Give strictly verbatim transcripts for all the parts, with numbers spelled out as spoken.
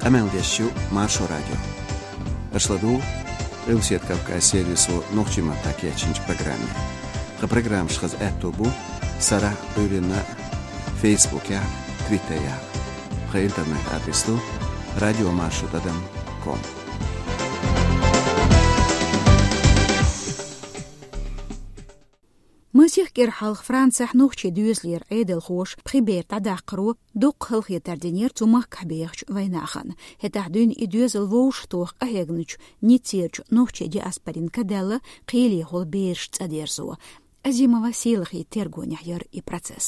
Къамел деш ю Маршо радио. Аша ладугӀу Къилбаседа Кавказан сервисо нохчийн маттахь кечйинчу программе. Тхан программаш хаза аьтто бу сарахь а, Ӏуьйранна а, Фейсбукехь а, Твиттерехь а. Тхан интернет-адрес ду радиомаршо тӀадам ком. Масех кӀира хьалха Францехь нохчийн доьзалера Ӏедалхоша пхи бер дӀадаккхаро дуккха халахетар динера цу махкахь бехачу вайнахана. ХӀетахь дуьйна и доьзал вовшахтоха къахьегначу Ниццерачу нохчийн диаспорин ка даьлла кхелехула бераш цӀа дерзо. Азимова Сийлахьан тергонехь яра и процесс.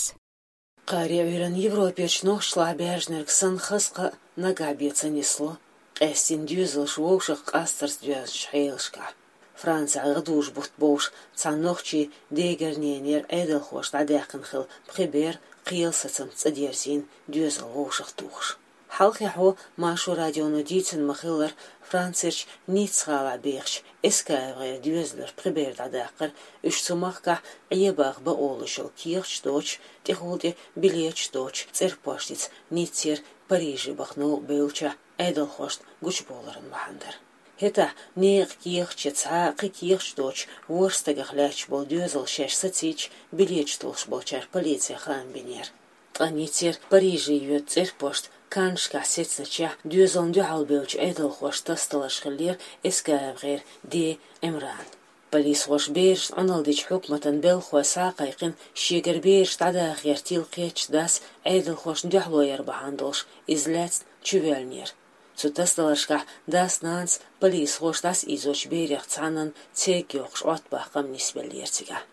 Кхаре Ӏуьйранна Европерчу нохчашлахь баьржинарг санна хаза кхаъ нагахь бен ца нисло, къаьстина доьзалш вовшах къастарца доьзначу хьелашкахь. Францехь гӀадужу-бутт бовш цхьана нохчийн дегарненера Ӏедалхоша дӀадаьккхина хилла пхи бер кхелан сацамца цӀа дерзийна, доьзал вовшахтухуш. Хьалххе хьо Маршо радионо дийцина ма-хиллара, Францерчу Ницца-гӀалахь бехачу Эскаев-гӀеран доьзалера пхи бер дӀадаккхар, уьш цу махкахь Ӏебаха бан олуш йолу кехаташ доцуш, тӀехула тӀе билеташ доцуш, цӀерпоштица Ниццера Париже баха новкъа бевллачохь Ӏедалхошна гучубовларан бахьана дара. ХӀетахь некъан кехаташ я цхьа а кхин кехаташ доцуш, ворхӀ стагах лаьтташ болу доьзал шаьш сацийча, билеташ толлуш болчара полице хаам бинера. Ткъа Ниццера Париже йоьду цӀерпошт Каннашкахь сецначохь доьзална дуьхьал бевллачу Ӏедалхошна тасадаларш хиллера Эскаев-гӀеран ден Ӏимранан. Полисхоша берашна Ӏуналла дечу хьукматан белхахой схьа а кхайкхина, шегара бераш дӀадаха гӀертийла кхеттачу дас Ӏедалхошна дуьхьало яр бахьана долуш, иза лаьцна чувоьллинера. Цу тасадаларшкахь дас-нанас полисхоша дӀасаийзочу берех цхьаннан церг йоккхуш Ӏоттабаха къам нисбеллера цигахь.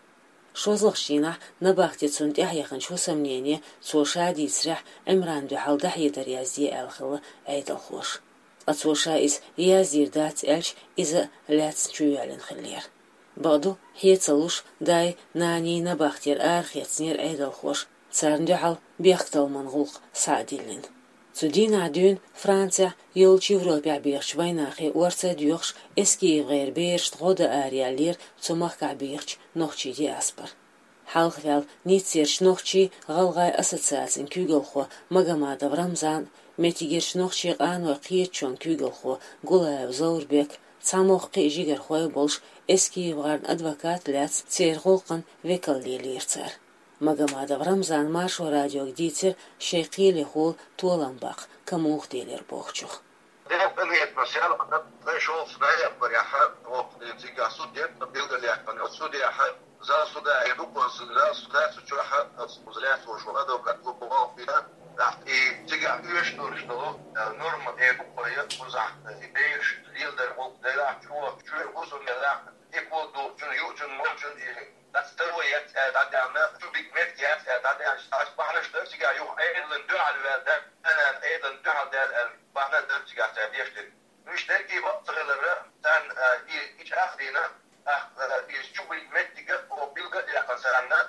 ШозлагӀчу дийнахь набахте цунна тӀаьхьа яханчу хӀусамнене, цо ша дийцарехь, Ӏимранна дуьхьал дӀахьедар язде аьлла хилла Ӏедалхоша. Ткъа цо ша иза яздийр дац аьлча, иза а лаьцна чувоьллина хиллера. Бакъду, хье ца луш, дай, наний набахтера арахецнера Ӏедалхоша, царна дуьхьал бехктакхаман гӀуллакх схьа а диллина. Цу дийнахь дуьйна Францехь, йоллучу Европехь бехачу вайнахе орца а доьхуш, Эскаев-гӀеран берашна гӀо дан араяьллера цу махкахь бехачу нохчийн диаспора. Хьалхаваьлла Ниццерчу нохчийн-гӀалгӀайн ассоциацин куьйгалхо Магомадов Рамзан а, меттигерчу нохчийн къанойн кхеташонан куьйгалхо Гулаев Зоврбек а, цхьа могӀа кхин а жигархой а болуш, Эскаев-гӀеран адвокат а лаьцна, церан гӀуллакхан векал лелийра цара. Магомадов Рамзана Маршо радиога дийцира шайн кхелехула толам баккха ка муха делира бохучух. Дехьа къинхетамаш яьлла, ткъе шолгӀачу ноябрехь, оха цигахь суд дира, тхан билгалъяьккхина оцу судехь, зал суда эр ду-кх оцу, зал суда цу чохь оцу лаьцна волуш волу адвокат клуб боху бина, и цигахь оьшуш долуш долу, э, норма эр ду-кх вай, кхузахь, и бераш леладар гӀуллакх делахь, чу, чуьра хӀусам делахь, и кхо духучун, юучун, молчун, и дӀа старой яц аьлла дӀадаьхна, чу биг меттиг яц аьлла дӀадаьхна, аш бахьанаш дара цигахь юха Ӏедалан дуьхьал ваьлла дара, Ӏедалан дуьхьал даьлла аьлла, бахьана дара цигахь цара деш дерг. Уьш дерг и бакъ ца хиларра, царна, а, и, и чӀагӀ а дийна, тӀаккха, а, иза чу биг меттиг а, оха билгал а яьккхина царна,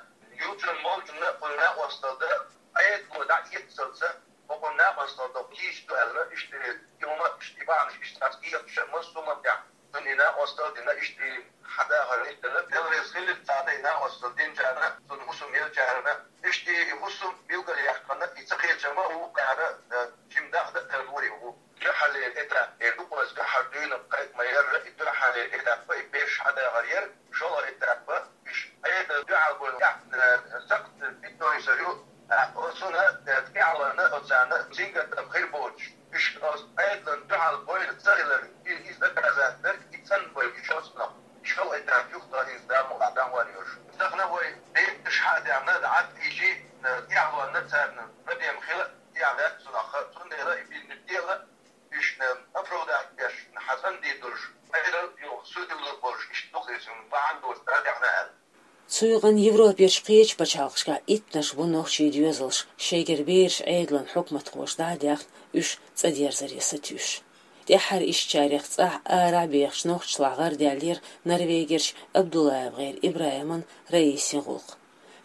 юучунна, молчунна кхунна накъосталла дан, Ӏедало дӀа эццалца, хӀокхунна накъосталла дан кийча ду аьлла, иштта и хӀума, иштта и бахьанаш, иштта цхьацца кехаташ а массо а маттехь. Цунна и накъосталла дина, иштта и хьадахар иштта дела, Дела реза хилира царна и накъосталла динчарна, цунна хӀусам еллачарна, иштта и хӀусам билгалъяьккхина, и ца кхечам а ву кхара, э, жимма даха а тардора и хӀу. Дуьххьарлера этап эр ду-кх вай, дуьххьара дуьйна кхайкха ма-ярра, и дуьххьарлера этап а, и бераш хьадахар яра, шолгӀа этап а, уьш Ӏедална дуьхьал бойла, э, сакхт питнойсар ю, а, оцунна, э, тӀаьхьалонна, оцарна сингаттам хир боцуш, уьш оцу Ӏедална дуьхьал бойла ца хилар, и, иза доказать дерг, и цӀанбойла уьш оцунах. ШолгӀа этап юха тӀе иза Дала мукъалахь дӀахьор йолуш. Тахана вай бетташ хьа а даьхна, дӀа а тийжий, э, тӀаьхьалонна царна ма дем хила, тӀехь ваьлла цунах, цундела и бинниг дела, уьшна оправдать беш, хьа цӀандийр долуш, Ӏедал юха судилла болуш, иштта ду-кх иза, бахьана доцуш дӀадаьхна аьлла. Цу юкъанна Европерчу кхечу пачхьалкхашкахь иттанаш бу нохчийн доьзалш, шайгара бераш Ӏедалан хьукматхоша дӀа а даьхна, уьш цӀа дерзаре сатуьйсуш. ТӀаьххьара ишттачарех цӀахь арахь бехачу нохчашлахь гӀардаьллера Норвегерчу Абдуллаев-гӀеран ИбрахӀиман, Раисин гӀуллакх.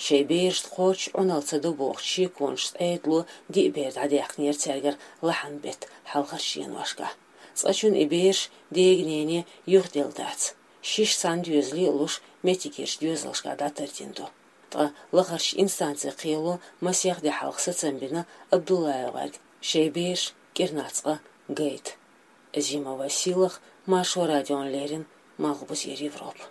Шайн берашна кхоччуш Ӏуналла ца до бохучу шеконашца Ӏедало диъ бер дӀадаьккхинера цаьргара лахьан беттан хьалхарчу деношкахь. Цкъачунна и бераш дега-нене юхаделла дац. Шиш цхьана доьзале а луш, меттигерчу доьзалшкахь дӀатардина ду. Ткъа лахарчу инстанцин кхело масех де хьалха сацам бина Абдуллаев-гӀерга шайн бераш кӀирнах цкъа гайта. Зима Василах, Маршо радиона леррина, Малхбузера Европа.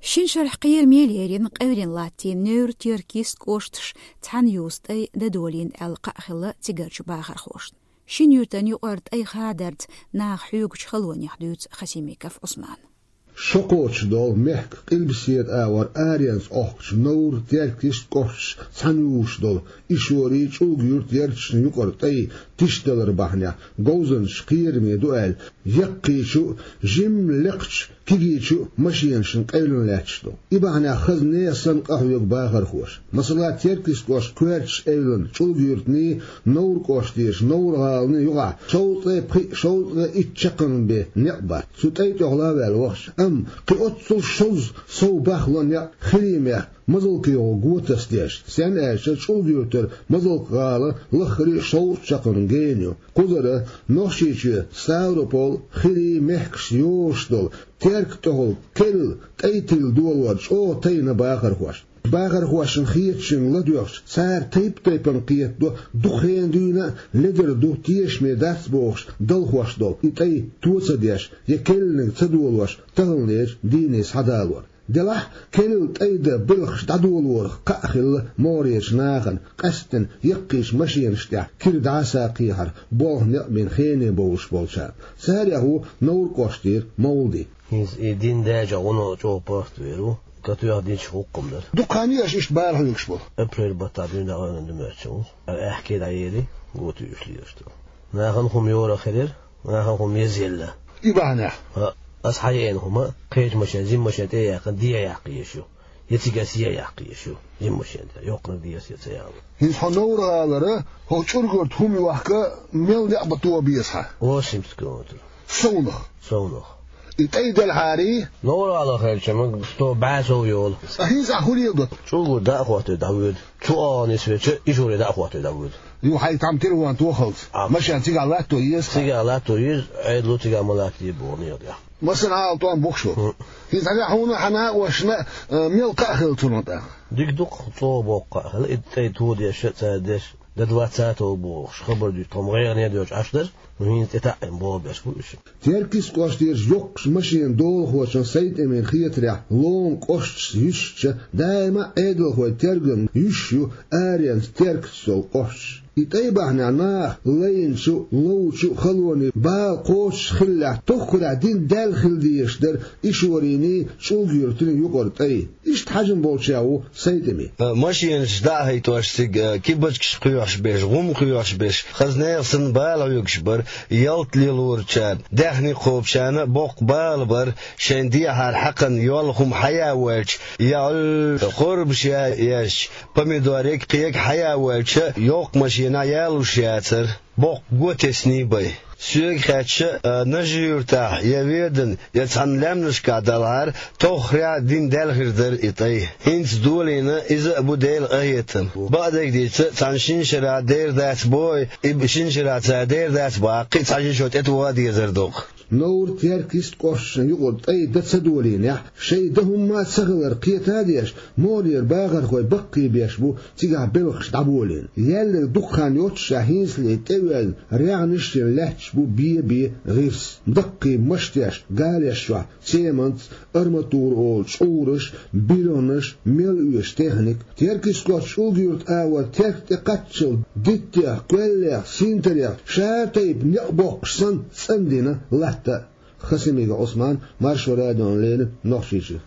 Шин шарахь кхераме леррина, къевлина латтийна Невр-Теркйист кӀошташ цхьана юьрта тӀай дӀадолийна аьлла кхаъ хилла цигарчу бахархошна. Шин юьртан юкъара тӀай хадарца наха хьоьгучу халонех дуьйцу Хасимиков Ӏусмана. Шо кхочуш долу мехкан къилбаседа агӀор аренца Ӏохкучу Невр-Теркйист кӀошташ цхьана юьйш долу Ишорий, ЧӀулга-Юьрт ярташна юкъара тӀай тишдалар бахьанехь, говзанчаш кхераме ду аьлла, яккхийчу, жимма лекхачу кегийчу машенашна къевлина лаьтташ ду. И бахьанехь хаза нехан санна къахьоьгу бахархоша. Масала, Теркйист кӀоштан коьртачу эвлана ЧӀулга-Юьртаний, Невр кӀоштарчу Невр-гӀаланий юкъахь шовзткъе пхиъ, шовзткъе итт чаккхарма бен некъ бац. Цу тӀай тӀехула а ваьлла вахча, амма кхин оццул шозза сов бахло некъ хилиймех мазалкхойн го тасадеш, стенна аьлча ЧӀулга-Юьртара Мазалк-гӀала лаххара шовзткъа чаккхарма гена ю. Кхузара Нохчийчоь, Ставрополь, Хирий мехкаш йолуш долу Терк тӀехула керла тӀай тилла долор чӀогӀа тайна бахархошна. Бахархошна хетачуьнга ладоьгӀча, цара тайп-тайпана кхетадо, дукха хенахь дуьйна а ледара ду, тешаме дац бохуш, далхош долу и тӀай то ца деш я керланиг ца долош таханлерчу дийне схьадалор. Делахь а, керла тӀай дан белхаш дӀадолорах кхаъ хилла могӀарерчу нахана, къаьсттина яккхийчу машенаш тӀехь кира дӀаса а кхехьара, болх некъ бина хене бовлуш болчарна. Царех ву Невр кӀоштара Мовлади. ХӀинца и дин даьча гӀуна чӀогӀа паргӀатвер ву, катоьхна динчу хӀуккхам дара. Дукха хан ю аша иштта бала хьоьгуш болу? Апрель баттахь дуьйна дӀа гӀевнан ду моьтту ву. Аьхкий дӀаели, го туьйсуш лелаш ду. Нахана хӀума йора хилира, нахана хӀума езъелла. И бахьанехь? А, аса хьаеана хӀума, кхечу машен, жима машен тӀе а яьккхина, де а яккха езаш ю. Я цига аса е а яккха езаш ю, жима машен тӀе. Йоккханиг де аса е ца яхьа. ХӀинца хьо Невр-гӀалара, хӀокху ЧӀулга-Юьрта хӀума йохка, мел некъ бан тоба беза хьан? Восемьдесят километр. Совнах? Совнах. И тӀай делхьарий? Невр-гӀала хилча, ма сто бӀе сов йолу. Ткъа хӀинца ахь хӀун леладо? ЧӀулга-Юьрт дӀа а хӀоттаве дӀавоьду. Цу агӀонан свеча Ишоре дӀа а хӀоттаве дӀавоьду. Юха хьайга там телефон тохалц. А. Машен цигахь латто еза? Цигахь латто еза, Ӏедало цигахь ма латтаде боху некъа тӀехь. Массанхьа а тӀом бохуш ву. ХӀинца хьуна, хьан накъошна, а, мел кхаъ хилла цунах тӀаккха? Дика ду-кх, чӀогӀа боккха кхаъ хилла, и тӀай то деш а, цара деш а, до двадцатого бохуш, хабар дуьйцу, тхо-м гӀайгӀане доьжуш Ӏаш дара, ну хӀинца тӀетаьӀӀина болх беш бу уьш. Теркйист кӀоштарчу йоккхачу машенан долахочун Сайтамин хетарехь, Ломан кӀошташ юьсуча, даима а Ӏедалхойн тергам юьсуш ю аренца Теркйист йолу кӀошташ. И тӀай бахьанехь наха лайначу, ловчу а халонийн бала кхочуш хиллехь, тоххарехь дин даьлла хила дезаш дара Ишорийний, ЧӀулга-Юьртаний юкъара тӀай. Иштта хьажам болчех ву Сайтами. Э, машенаш дӀа а хӀиттош цига, э, кибачкаш кхоьхьуш берш, гӀум кхоьхьуш берш, хаза нехан санна бала хьоьгуш бара, ялта лелорчарна, даьхни кхобучарна а боккха бала бара, шайн дехьара хьакхана йолу хӀума хьаян воьлча, я Ӏуьллу, хорбаш я ешча, помидориг, кхега хьаян воьлча, йоккха машенахь ялуш яцара. Боккха го тесний бай. Соьга хаьттича, а, Нажи-Юьртахь я Веданахь, я цхьана лаьмнашкахь далахьара, тоххарехь дин даьлла хир дара и тӀай. ХӀинца долийна иза а бу Делан къахетам. Бакъдерг дийцича, цхьана шина шарахь дер дац боху, и шина шарахь цара дер дац бахахь, кхин а цхьа ши шо тӀетоха а дезар ду-кх. Невр-Теркйист кӀошташна юкъара тӀай дан ца долийнехь, шайн дан хӀумма а ца хилар кхета а деш, могӀарера бахархой баккхий беш бу цигахь белхаш дӀаболийна. Яьлларг дукха хан йоццушехь, хӀинцале тӀеоьзна, регӀнаш а йина лаьтташ бу бе-бе гӀирс. Даккхий машеташ, гареш чохь цементца, арматура олу чкъураш, биргӀанаш, мел оьшу техника. Теркйист кӀоштан ЧӀулга-Юьрта агӀор Терк тӀе кхаччалц диттех, кхоьллех, синтарех, шара тайпа некъ боккхуш санна, цӀандина латта а. Хасимиков Ӏусман, Маршо радиона леррина, Нохчийчуьра.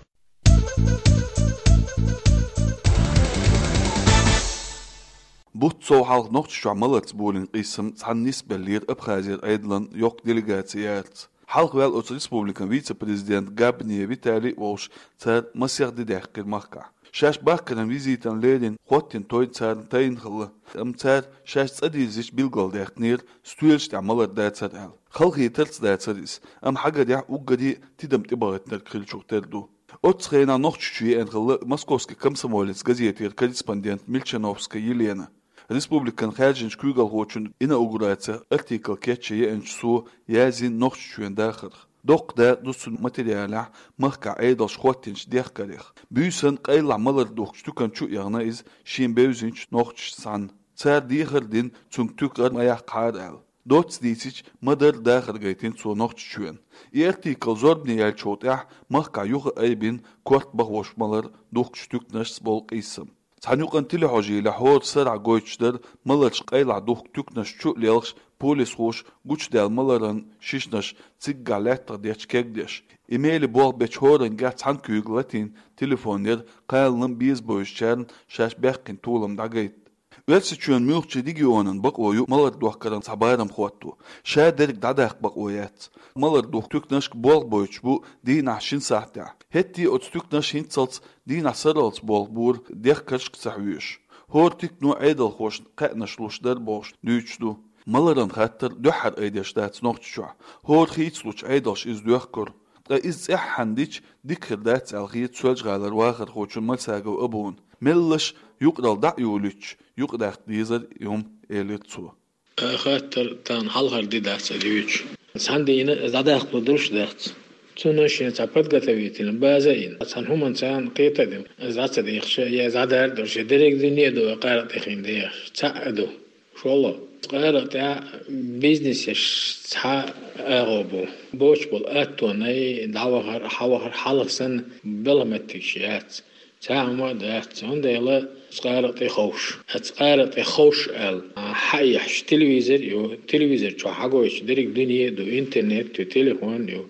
Бутт сов хьалха Нохчийчохь маларца болийна къийсам цхьанна нисбеллера Абхазера Ӏедалан йоккха делегаци яьрца. Хьалха ваьлла оцу республикан вице-президент Габни Виталий а волуш, цара масех де даьккхира махкахь. Шаьш бахкаран визитана леррина хӀоттийна той царна тайна хилла, амма цара шаьш цӀа дирзича билгалдаьккхинера, стоьлаш тӀехь малар дацар аьлла. Халахетарца дацар иза, амма хьагарехь уггаре а тидам тӀебахийтинарг хиллачух тера ду. Оццу хенахь Нохчийчу еана хилла «Московский комсомолец» газетера корреспондент Мильчановская Елена. Республикан хаьржинчу куьйгалхочун инаугурацех артикл кечъян еанчу цо язйина Нохчийчоьнан дахарх. Доккха дакъа ду цу материалехь махкахь Ӏедалша хӀоттийначу дехкарех. Буьйсанна къайлахь малар духкучу туькан чу а яхана иза шен бевзинчу нохчашца цхьаьна. Цара дехар а дина, цуьнга туька гӀар ма яккхахьара аьлла. Доцца дийцича, ма-дарра дахар гайтина цо Нохчийчоьнна. И артикл зорбане яьллачул тӀаьхьа махкахь юха а айбина корта бахош малар духкучу туьканашца болу къийсам. Цхьана юкъана телехьожийлехь хӀора сарахь гойтуш дара маларш къайлахь духку туьканаш чу а лелхаш, полисхоша гучудаьлла маларан шишнаш циггахь лаьттах детташ кегдеш. И меле болх бечу хӀоранга цхьана куьйга латийна телефон яра кхаланан беза бевзачарна шаьш баьккхина толам дӀагайта. Оьрсийчоьнан муьлххачу регионан бакъо ю малар дохкаран цхьа барам хӀотто. Ша дерг дӀадаккха бакъо яц. Малар духку туьканашка болх бойтуш бу дийнахь шина сахьтехь. ХӀетте а оцу туьканаша хӀинццалц дийнахь сарралц болх бора дехкаршка ца хьоьжуш. ХӀора туькано Ӏедалхошна кхаьънаш луш дара бохуш дуьйцуш ду. Маларан хаттар дуьххьара айдеш дац Нохчийчохь. ХӀора хийцалучу Ӏедалша иза доьхкура. Ткъа иза цӀеххьана дича, дика хир дац аьлла хета Соьлжа-ГӀалара вахархочунна Мальсагов Абуна. Меллаша юкъаралла дӀа а йолуьйтуш, юкъадаккха дезара и хӀума, элира цо. Хаттар тахана хьалхара де дац аса дуьйцуш. Цхьана дийнахь дӀадаккхалур долуш дац. Цунна шен цхьа подготовительная база а йина, цхьана хӀуманна царна кхета а дина, иза дӀа ца дехча, я иза дӀадара а долуш, я дерриг дуьне а ду, къаркъа тӀехь дехаш, цхьаъ а ду. ШолгӀа, къаркъа тӀехь бизнес еш цхьа агӀо бу. Боцуш болу аттонай дӀавахар, хьавахар хьалха санна белхан меттигаш яц. Цхьа а хӀума а дац, цундела оцу къаркъа тӀе ховш. Оцу къаркъа тӀе ховш аьлла, хьаэхьаш телевизор а ю, телевизор чохь хьагойтуш дерриг дуьне а ду, интернет а ю, телефон а ю,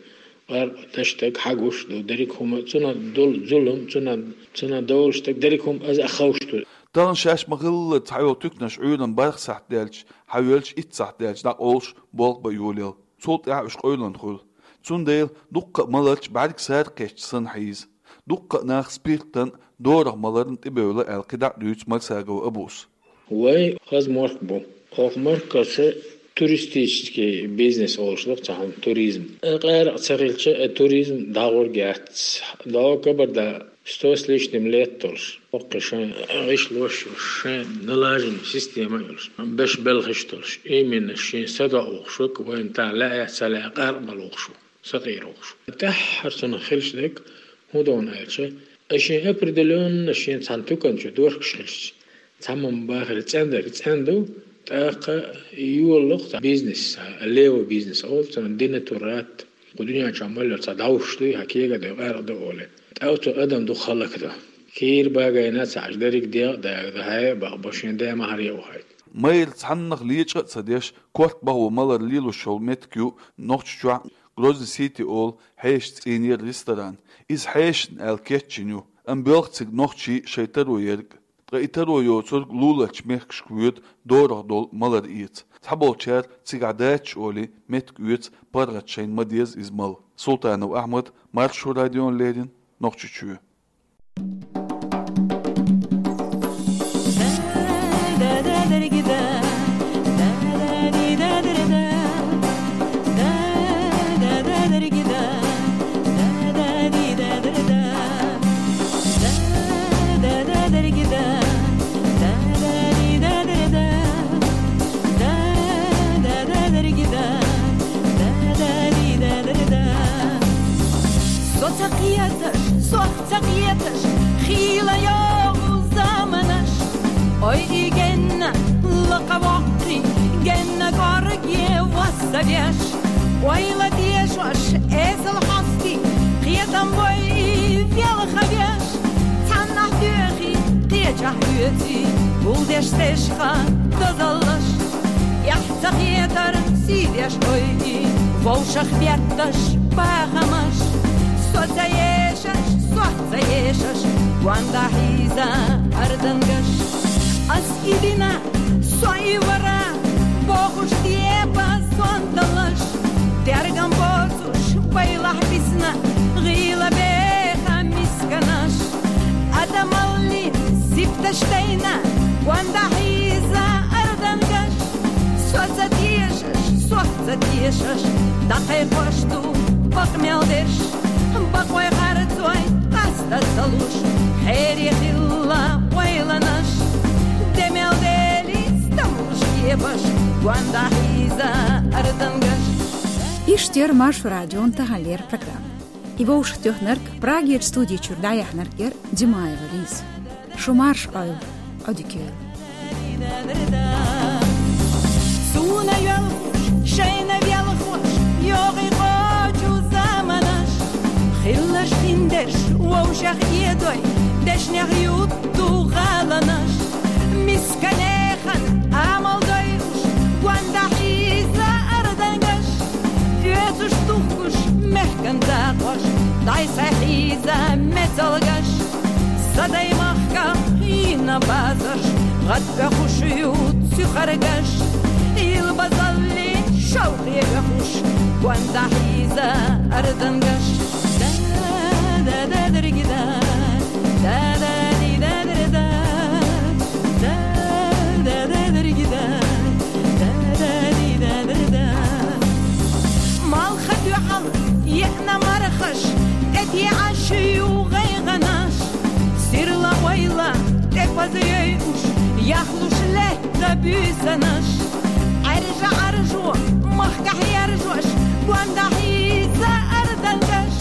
къаркъа тӀе стаг хьагуш а ду, дерриг хӀума, цунах долу зулам, цунах, цунах долуш стаг, дерриг хӀума иза а ховш ду. Тахана шаьш ма-хиллара цхьайолу туьканаш Ӏуьйранна бархӀ сахьт даьлча, хьавоьлча итт сахьт даьлча дӀакъовлуш болх бан йолаелла. Цул тӀаьхьа уьш къевлина хуьлу. Цундела дуккха а маларчу бӀаьрг сара кхетча санна хьийза. Дуккха а нах спиртан, дорах маларна тӀебевлла аьлла кхидӀа а дуьйцу Мальсагов Абус. Вай хаза мохк бу. Оха мохкаца туристический бизнес олуш ду цхьа хӀума, туризм. Э, къаркъа ца хилча, э, туризм дӀагӀур яц. ДӀо Кабарда сто с лишним лет долуш, хӀокху шайн гӀишлош а йолуш, шайн налаженная система а йолуш, беш белхаш а долуш, именно шен садоӀу вохуш ву, вайна тахана лаьа а ца лаьа, къаркъа бала вохуш ву, сакъера вохуш ву. ТӀаьххьара цунах хилча дерг хӀун ду аьлча, ай шен определённо шен цхьана туькан чу дохкуш хилча, цхьамма бахара цӀена дерг цӀена ду, тӀаккха йолалуш цхьа бизнес, левый бизнес олу, цунах денатурат, кху дуьнен чохь мел йолу цхьа дӀовш дуй, хьан кега а дуй, къаркъа ду олий. ТӀаккха оцу адам дукха хӀаллакдан. Кийра багайна а ца Ӏаш, дерриг дегӀ а дагадо, хьай а бакъбо, шен ден ма-хьара а вахийта. Майра цхьаннах лечкъа а ца деш, корта бахо малар лелош йолу меттиг ю Нохчийчохь Грозный Сити олу хьешан цӀийнера ресторан. Иза хьешан аьлла кечйина ю, амма боьлху цига нохчий шайн таро ерг. Ткъа и таро йоцург луларчу мехкашка воьду дорах долу малар эца. Цхьаболчара цигахь дацаш олий меттиг оьцу паргӀаташна, шайна ма-деззара иза мала. Султанов Ахьмад, Маршо радиона леррина, Нохчийчоь. Со ца кхеташ, сох ца кхеташ, хийла йогӀу заманаш. Ой, и генна лакха воккхий, генна кӀорге вассавеш. Ойла дешош, эсала хьостий, кхетам бой велхавеш. Цхьаннахь доьхий, кхечахь оьций, гулдеш цӀешха дозаллаш. Эхь ца хетар сийдеш ойий, вовшах бетташ бахамаш. Со ца ешаш, сох ца ешаш, гондахь хьийза ардангаш. Ас и дина, со и вара, бохуш депа сонталаш. Тергам боцуш байлахь бисна, гӀийла беха мисканаш. Адамаллин сибташ тайна, гондахь хьийза ардангаш. Со ца тешаш, сох ца тешаш, дӀакхайкхош ду бакъ мел дерш. Бакъой харцой къаста ца луш, хьере хилла ойланаш. Де мел дели стамлуш кепаш, гондахь хьийза ардангаш. И Иштта яр Маршо радион таханлера программа. И вовшахтоьхнарг, Прагера студи чуьра дӀаяьхьнарг яр Димаева Лиза. Шу марша Ӏойла, Ӏодика йойла. Суна йоьлхуш, шайна велхош, йогӀий кхочу заманаш, хиллаш хиндерш, вовшах эдой, дешнех ютту гӀаланаш, мисканехан Ӏамал дойуш, гонда хьийза ардангаш, оьцуш тухкуш мехкан дакъош, дӀай-схьай хьийза мецалгаш. Садай махках йина базарш, гӀад оьхуш ю цуьхаргаш, илбазалли шовхе оьхуш, гонда хьийза ардангаш. Да-да-да-дыргида, да-да-ди-да-дырда, да-да-да-дыргида, да-да-ди-да-дырда. Малха дуьхьал еана мархаш, тӀетеӀаш ю гӀайгӀанаш, сирла ойла тӀепаза йойуш, яхлуш летта буьйсанаш. Ӏаьржа-Ӏаржо, махкахь яржош, гонда хьийза ардангаш.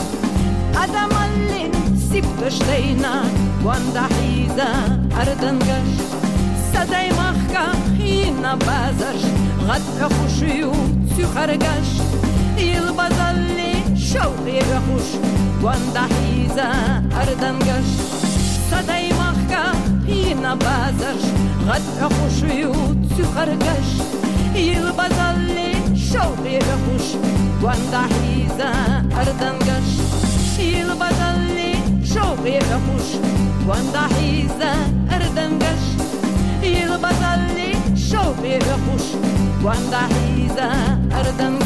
Адамаллин сибташ дайна, гонда хьийза ардангаш. Садай махках йина базарш, гӀад оьхуш ю цуьхаргаш, илбазалли шовхе оьхуш, гонда хьийза ардангаш. Садай махках йина базарш, гӀад оьхуш ю цуьхаргаш, илбазалли шовхе оьхуш, гонда хьийза ардангаш. Илбазалли шовхе оьхуш, гонда хьийза ардангаш. Илбазалли шовхе оьхуш, гонда хьийза ардангаш.